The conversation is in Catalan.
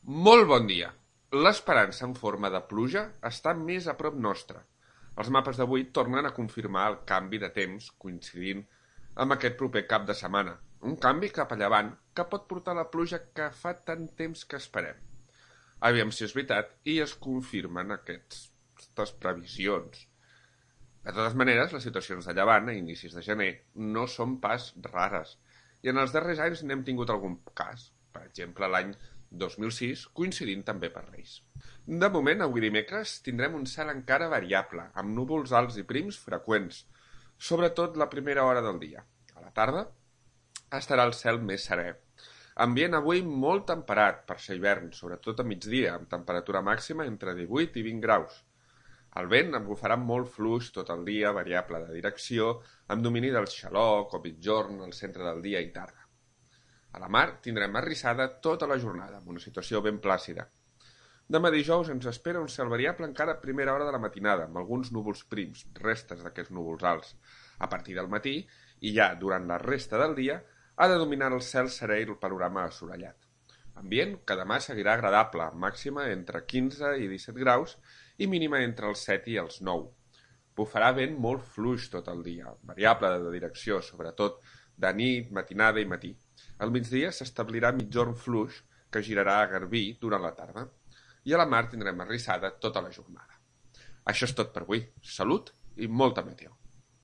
Molt bon dia. L'esperança en forma de pluja està més a prop nostre. Els mapes d'avui tornen a confirmar el canvi de temps coincidint amb aquest proper cap de setmana. Un canvi cap a llevant que pot portar la pluja que fa tant temps que esperem. Aviam si és veritat i es confirmen aquestes previsions. De totes maneres, les situacions de llevant a inicis de gener no són pas rares i en els darrers anys n'hem tingut algun cas, per exemple l'any 2006, coincidint també per Reis. De moment, avui dimecres, tindrem un cel encara variable, amb núvols alts i prims freqüents, sobretot la primera hora del dia. A la tarda estarà el cel més serè. Ambient avui molt temperat per ser hivern, sobretot a migdia, amb temperatura màxima entre 18 i 20 graus. El vent bufarà molt fluix tot el dia, variable de direcció, amb domini del xaloc o migjorn al centre del dia i tarda. A la mar tindrem arrissada tota la jornada, amb una situació ben plàcida. Demà dijous ens espera un cel variable encara a primera hora de la matinada, amb alguns núvols prims, restes d'aquests núvols alts. A partir del matí, i ja durant la resta del dia, ha de dominar el cel serè i el panorama assolellat. Ambient que demà seguirà agradable, màxima entre 15 i 17 graus i mínima entre els 7 i els 9. Bufarà vent molt fluix tot el dia, variable de direcció, sobretot de nit, matinada i matí. Al migdia s'establirà migjorn fluix que girarà a garbí durant la tarda i a la mar tindrem arrissada tota la jornada. Això és tot per avui. Salut i molta meteo.